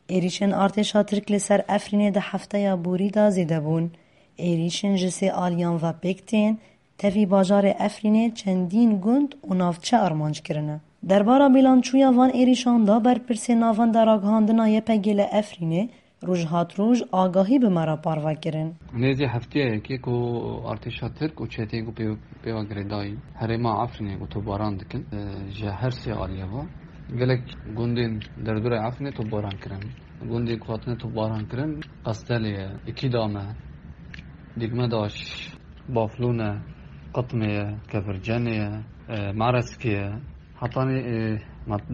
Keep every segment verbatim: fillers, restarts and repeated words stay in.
Êrîşên artêşa Tirk li ser Efrînê di hefteya borî de zêde bûn. Êrîşên ji sê aliyan ve pêk tên, tevî bajarê Efrînê çendîn gund û navçe armanc kirine. Derbara bîlançûya van êrîşan de berpirsê Navenda Ragihandina Y P G li Efrînê, Roj hat roj agahî bi me re parve kirin. Nêzî hefteyekê ku artêşa Tirk û çeteyên ku pê-, pêva girêdayî herêma Efrînê ku topbaran dikin, e, ji her sê aliyê ve gelek gundên derdorê Efrînê topbaran kirin. Gundên ku hatine topbaran kirin, Qestelê ye, Îkîdam e, Dîkmedaş, Baflûn e, Qitmê ye, Kefircenê ye, e, Mereskê ye. Hetanî, e, mat-,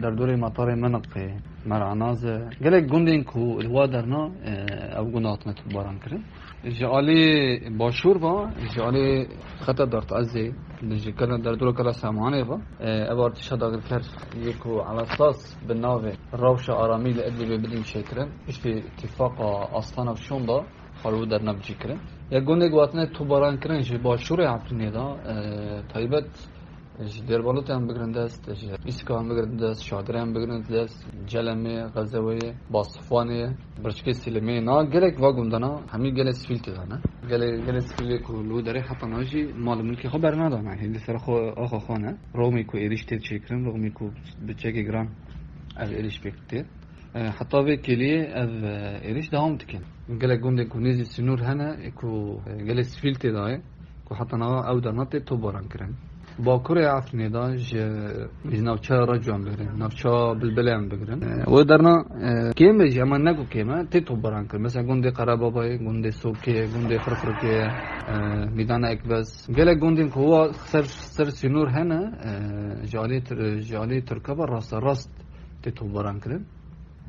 derdorê matarê Miniqê, Meranaz e. Gelek gundên ku li wa derna, e, ev gund hatine topbaran kirin. Ji alî başûr ve, ji alî xeta Dart Ezê, ji kela derdora kela Semanê ve, e, ev artêşa dagirker yê ku elesas bi navê Rewşa Aramî li Idlibê bidin çêkirin. Piştî tifaqa Astana Şonda xwe li derna bicî kirin. Ya gundê ku hatine topbaran kirin ji başûrê Efrînê de, e, taybet ji Dêrbalotê em bigirin dest, ji Îskan bigirin dest, Şadirê em bigirin dest, Celemê, Xezeweyê, Basifwanê, Birçikê Sîlemê, na gelek va gundana hemî gelê sivîl tê de ne. Gelê, gelê sivîlê ku li wê derê heta niha jî mal û milkê xwe bernadane. Hê li ser xwe axa xwe ne. Rûmê ku êrîş tê çêkirin, rûmê ku bi çekê giran ev êrîş pêk tê. E, heta vê kêliyê ev, e, êrîş dewam dikin. Gelek gundên ku nêzî sînor hene, ê ku, e, gelê sivîl tê de ye, ku heta niha ew derna tê topbaran kirin. Bakurê Efrînê de ji, ji navçeya Reco em bigirin, navçeya Bilbilê em bigirin. E, wê derna, e, kêm e jî, ema ne ku kêm e, tê topbaran kirin. Mesela gundê Qerebabayê, gundê Sokê, gundê Firfirkê, e, Mîdana Ekbez. Gelek gundên ku wa ser, ser sînor hene, e, ji alî Tir-, ji alî Tirka ve rasterast tê topbaran kirin.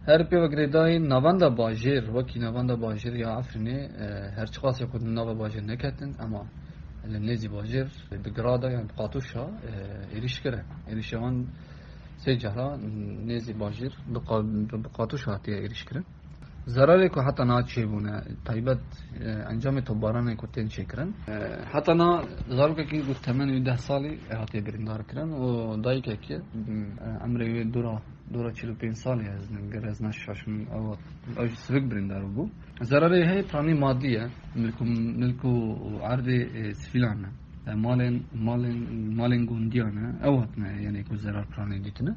Her pê ve girêdayî navenda bajêr, wekî navenda bajêr ya Efrînê, e, her çiqasê xwe di nava bajêr neketin, ema li nêzî bajêr bi grada yan bi qatûşa, e, êrîş kirin. Êrîşa wan sê cara nêzî bajêr bi qa-, bi qatûşa hatiye êrîş kirin. Zerarê ku heta niha çêbûne, taybet, e, encamê topbaranê ku tên çêkirin. E, heta niha zarokekî ku temenê wî deh salî hatiye birîndar kirin û dayikekî, e, emrê wê dûra dora çil û pênc salî ez ne, ger ez neşaşim, ew, ew jî sivik birîndar bû. Zerarê heye piranî madî ye, milk û, milk û erdê, e, sivîlan e. E, malên, malên, malên gundiyan e. Ew hatine, yanî ku zerar piranî dîtine.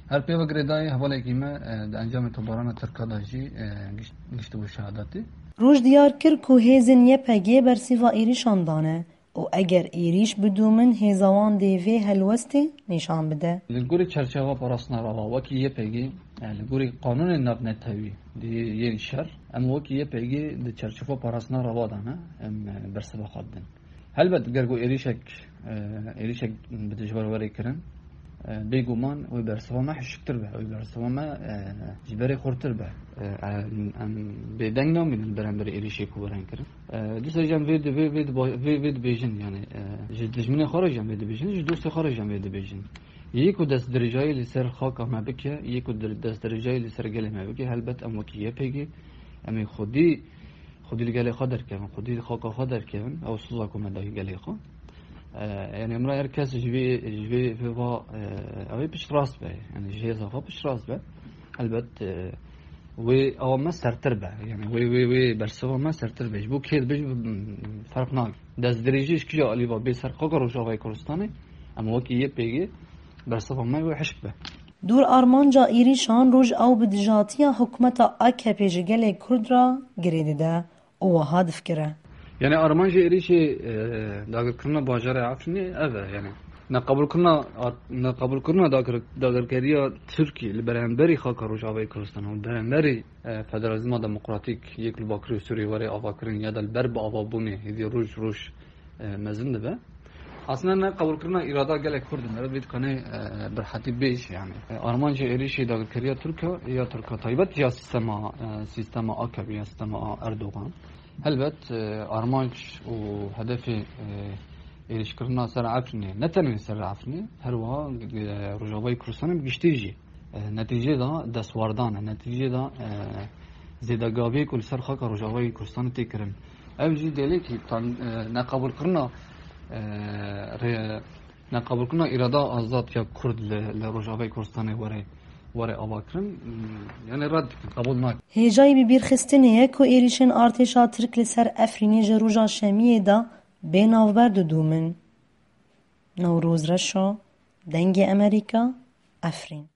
Her pê ve girêdayî hevalekî me, e, di encamê tobarana Tirka de jî, e, giş-, giştibû şehadatê. Roj diyar kir ku hêzên Y P G bersiva êrîşan dane. û eger êrîş bidûmin hêza wan dê vê helwestê nîşan bide. Li gorî çerçeveya parastina rava wekî Y P G, e, li gorî qanûnên navnetewî di yên şer, em wekî Y P G di çerçeveya parastina rava de ne, em, e, bersiva xwe didin. Helbet ger ku êrîşek, e, êrîşek bi dijber were kirin, e, bêguman wê bersiva me hişktir be, wê bersiva me, e, ji berê xurtir be. E, em, em bêdeng namînin li beramberî êrîşê ku werin kirin. E, dîsa jî em vê di-, vê, vê diba-, vê, vê dibêjin, yanî, e, ji dijminê xwe re jî em vê dibêjin, ji dostê xwe re jî em vê dibêjin. Yê ku destdirêjayî li ser xaka me bike, yê ku dir-, destdirêjayî li ser gelê me bike, helbet em wekî Y P G, em ê xwedî, xwedî li gelê xwe derkevin, xwedî li xaka xwe derkevin, ew soza ku me dayî gelê xwe. E, yanî, em re her kes ji vê, ji vê, vê va, e, ew ê piştrast be, yanî ji hêza xwe piştrast be. Helbet, e, wê awa me sertir be. Yanî wê, wê, wê bersiva me sertir be. Ji bo kê dibe, ji bo, mm, ferq nake. Destdirêjî ji kîja alî ve bê ser xaka Rojavayê Kurdistanê, em wekî Y P G bersiva me wê hişk be. Dûr armanca êrîşan roj ew bi dijatiya hikûmeta A K P ji gelê Kurd re girê dide. û wiha difikire. Yanî armanca êrîşê, e, dagirkirina bajarê Efrînê ev e, yanî neqebûlkirina, neqebûlkirina dagir-, dagirkeriya Tirkiyê li beramberî xaka Rojavayê Kurdistanê û li beramberî, e, federalîzma demokratîk yê ku li Bakurê Sûriyê were avakirin ya da li ber bi avabûnê hêdî roj roj, e, mezin dibe. Aslında ne qebûlkirina îrada gelek Kurd in, vê dikanê, e, bi rehetî bêj, yanî. E, armanca êrîşê dagirkeriya Tirka, ya Tirka taybet ya sistema, e, sistema A K P, ya sistema Erdogan. Helbet, e, armanc û hedefê, e, êrîşkirina ser Efrînê, ne tenê ser Efrînê, her wiha, e, Rojavayê Kurdistanê bi giştî jî. E, netîcê de destwardan e, netîcê de, e, zêdegaviyê ku li ser xaka Rojavayê Kurdistanê tê kirin. Ev jî dêlekî tan-, e, neqebûlkirina, e, rê-, neqebûlkirina îrada azad ya Kurd li, li Rojavayê Kurdistanê were Were avakirin, yani red dikin, qebûl nakin. Hêjayî bibîrxistinê ye ku êrîşên artêşa Tirk li ser Efrînê ji roja Şemiyê de bê navber didûmin. Newroz Reşo, Dengê Emerîka, Efrîn.